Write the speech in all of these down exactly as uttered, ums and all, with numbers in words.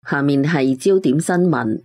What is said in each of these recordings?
下面係焦點新聞。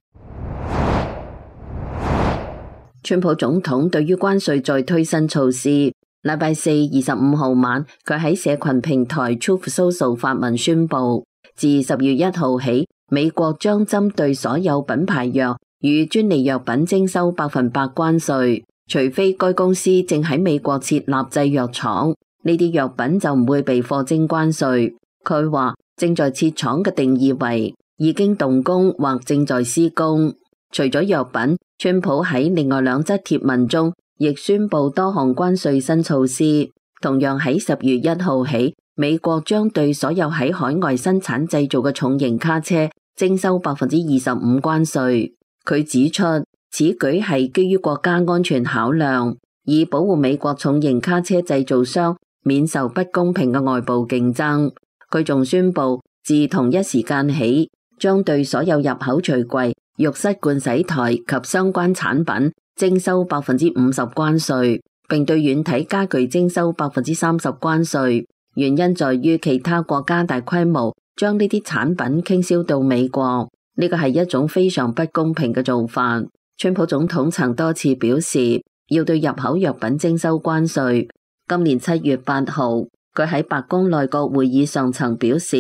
川普總統對於關稅再推新措施，禮拜四二十五號晚，佢喺社群平台 Truth Social 發文宣布，自十月一號起，美國將針對所有品牌藥與專利藥品徵收百分百關稅，除非該公司正喺美國設立製藥廠，呢啲藥品就唔會被課徵關稅。佢話正在設廠嘅定義為已經動工或正在施工。除咗藥品，川普喺另外兩則貼文中亦宣布多項關稅新措施。同樣喺十月一號起，美國將對所有喺海外生產製造嘅重型卡車徵收百分之二十五關稅。佢指出，此舉係基於國家安全考量，以保護美國重型卡車製造商免受不公平嘅外部競爭。佢仲宣布，自同一時間起，將對所有入口櫥櫃、浴室盥洗台及相關產品徵收百分之五十關稅，並對軟體家具徵收百分之三十關稅。原因在於其他國家大規模將呢啲產品傾銷到美國，呢個係一種非常不公平嘅做法。川普總統曾多次表示要對入口藥品徵收關稅。今年七月八號，佢喺白宮內閣會議上曾表示，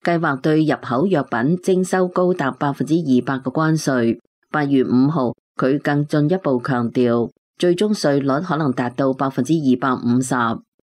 計劃對入口藥品徵收高達百分之二百嘅關稅。八月五號，佢更進一步強調，最終稅率可能達到百分之二百五十。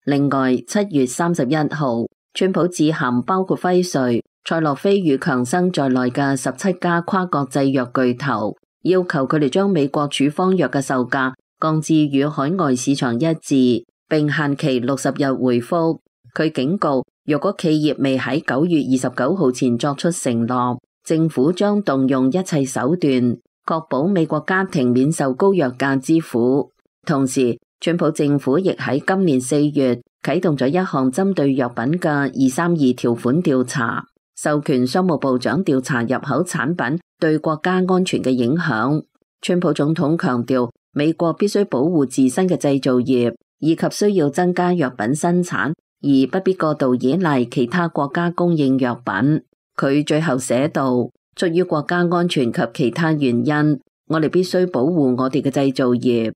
另外，七月三十一號，川普致函包括輝瑞、賽諾菲與強生在內嘅十七家跨國製藥巨頭，要求佢哋將美國處方藥嘅售價降至與海外市場一致，並限期六十日回覆。佢警告，若果企業未喺九月二十九號前作出承諾，政府將動用一切手段，確保美國家庭免受高藥價之苦。同時，川普政府亦喺今年四月啟動咗一項針對藥品嘅二三二條款調查，授權商務部長調查入口產品對國家安全嘅影響。川普總統強調，美國必須保護自身嘅製造業，以及需要增加藥品生產，而不必過度依賴其他國家供應藥品。佢最後寫道，出於國家安全及其他原因，我哋必須保護我哋嘅製造業。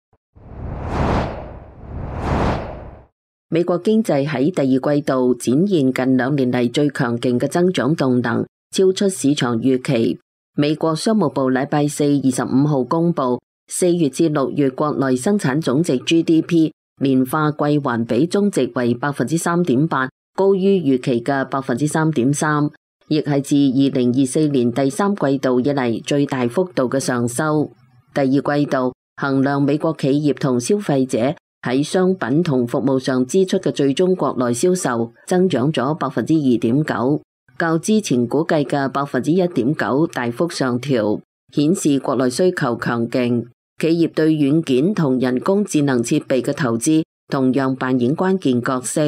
美國經濟喺第二季度展現近兩年嚟最強勁嘅增長動能，超出市場預期。美國商務部禮拜四二十五號公布，四月至六月國內生產總值 G D P 年化季環比中值為百分之三點八，高於預期嘅百分之三點三，亦係自二零二四年第三季度以嚟最大幅度嘅上修。第二季度衡量美國企業同消費者喺商品同服務上支出嘅最終國內銷售增長咗百分之二點九，較之前估計嘅百分之一點九大幅上調，顯示國內需求強勁。企業對軟件同人工智能設備嘅投資同樣扮演關鍵角色。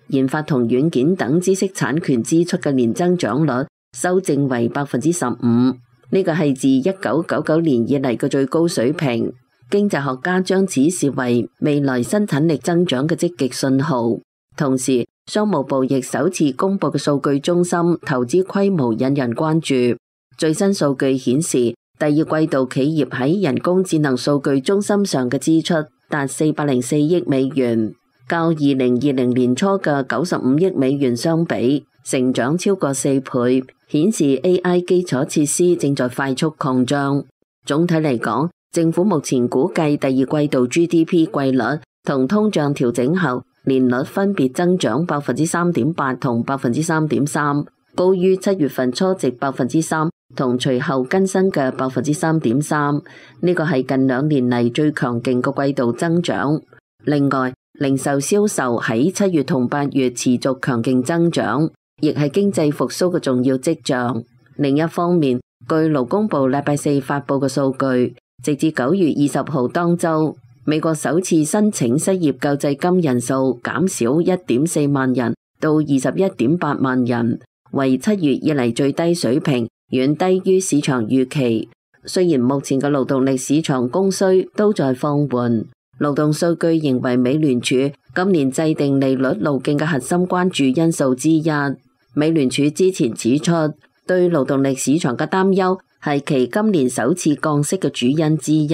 研發同軟件等知識產權支出嘅年增長率修正為百分之十五，呢個係自一九九九年以嚟嘅最高水平。經濟學家將此視為未來生產力增長嘅積極信號。同時，商務部亦首次公布嘅數據中心投資規模引人關注。最新數據顯示，第二季度企業喺人工智能數據中心上嘅支出達四百零四億美元，較二零二零年初嘅九十五億美元相比，成長超過四倍，顯示 A I 基礎設施正在快速擴張。總體嚟講，政府目前估計第二季度 G D P 季率同通脹調整後年率分別增長百分之三點八同百分之三點三，高於七月份初值百分之三同隨後更新嘅百分之三點三。呢個係近兩年嚟最強勁嘅季度增長。另外，零售銷售喺七月同八月持續強勁增長，亦係經濟復甦嘅重要跡象。另一方面，據勞工部禮拜四發佈嘅數據，直至九月二十號當週，美國首次申請失業救濟金人數減少一點四萬人到二十一點八萬人，為七月以嚟最低水平，遠低於市場預期。雖然目前嘅勞動力市場供需都在放緩，勞動數據認為美聯儲今年制定利率路徑嘅核心關注因素之一。美聯儲之前指出，對勞動力市場嘅擔憂係其今年首次降息嘅主因之一。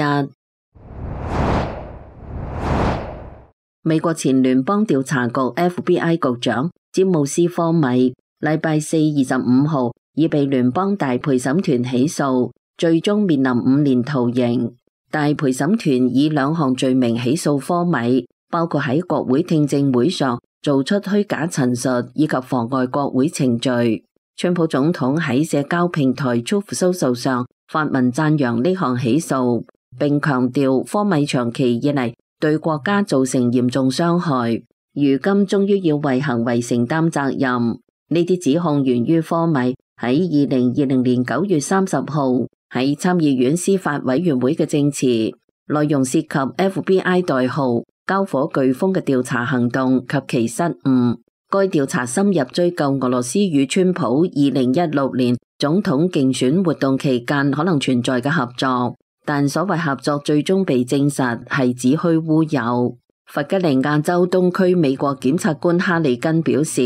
美國前聯邦調查局 F B I 局長詹姆斯科米禮拜四二十五號已被聯邦大陪審團起訴，最終面臨五年徒刑。大陪審團以兩項罪名起訴科米，包括喺國會聽證會上做出虛假陳述以及妨礙國會程序。川普總統喺社交平台 Truth Social 上發文讚揚呢項起訴，並強調科米長期以嚟對國家造成嚴重傷害，如今終於要為行為承擔責任。呢啲指控源於科米喺二零二零年九月三十號喺參議院司法委員會嘅證詞，內容涉及 F B I 代號交火颶風嘅調查行動及其失誤。該調查深入追究俄羅斯與川普二零一六年總統競選活動期間可能存在嘅合作，但所謂合作最終被證實係子虛烏有。弗吉尼亞州東區美國檢察官哈里根表示，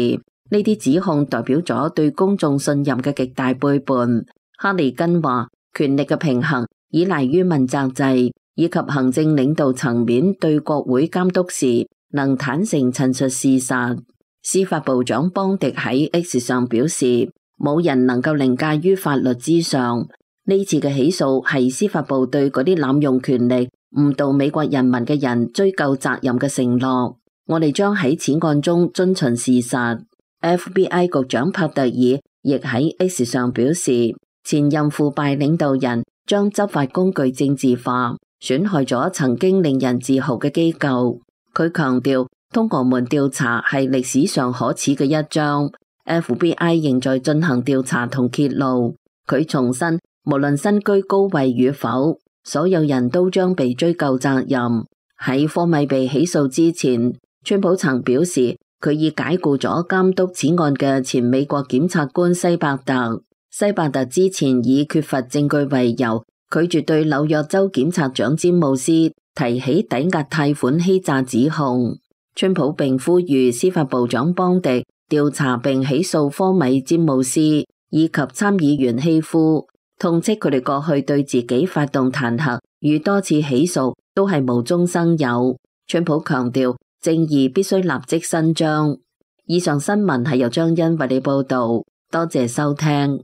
呢啲指控代表咗對公眾信任嘅極大背叛。哈里根話，權力嘅平衡依賴於問責制以及行政領導層面對國會監督時能坦誠陳述事實。司法部長邦迪喺 X 上表示，冇人能夠凌駕於法律之上。呢次嘅起訴係司法部對嗰啲濫用權力誤導美國人民嘅人追究責任嘅承諾。我哋將喺此案中遵循事實。F B I 局長帕特爾亦喺 X 上表示，前任腐敗領導人將執法工具政治化，損害咗曾經令人自豪嘅機構。佢強調，通俄門調查係歷史上可恥嘅一章。F B I 仍在進行調查同揭露。佢重申，無論身居高位與否，所有人都將被追究責任。喺科米被起訴之前，川普曾表示佢已解雇咗監督此案嘅前美國檢察官西伯特。西伯特之前以缺乏證據為由，拒絕對紐約州檢察長詹姆斯提起抵押貸款欺詐指控。川普並呼籲司法部長邦迪調查並起訴科米、詹姆斯以及參議員希夫，痛斥佢哋過去對自己發動彈劾與多次起訴都係無中生有。川普強調，正義必須立即伸張。以上新聞係由張欣為你報道，多謝收聽。